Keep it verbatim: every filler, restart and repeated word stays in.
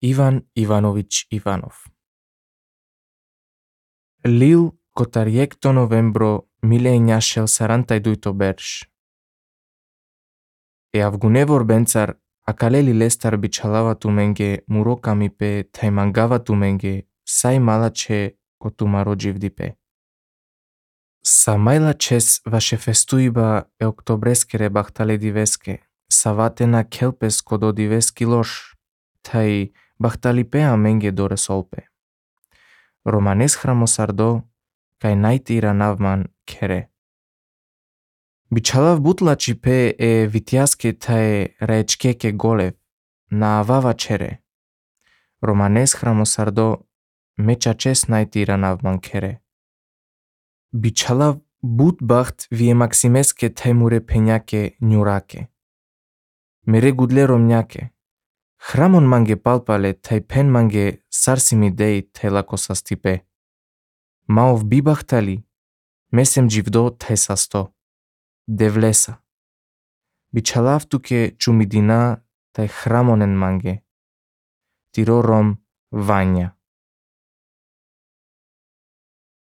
Ivan Ivanović Ivanov. Lil kotariekto novembro mileniašel sarantai duito berš. E avgunevor bencar akaleli lestar bichalavatu menge murokami pe taimangavatu menge sai malache kotumaro jivdipe. Samaila čes vaše festuiba e oktobreskere bahtale diveske, savatena kelpes kodo diveski loš, tai bahtalipea menge dore solpe. Romanes hramosardo, kai naitira navman kere. Bichalav butlači pe e vitiaske tae raečkeke golev, na avava čere. Romanes hramosardo, mecha čes naitira navman kere. Bichalav but baht vie maximeske taimure peñake njurake. Mere gudle romňake. Hramon mange palpale tai pen mange sarsimi dei tai lakosastipe. Maov bibahtali, mesem jivdo tai sasto. Devlesa. Bichalav tuke čumidina tai hramonen mange. Tiro rom vanja.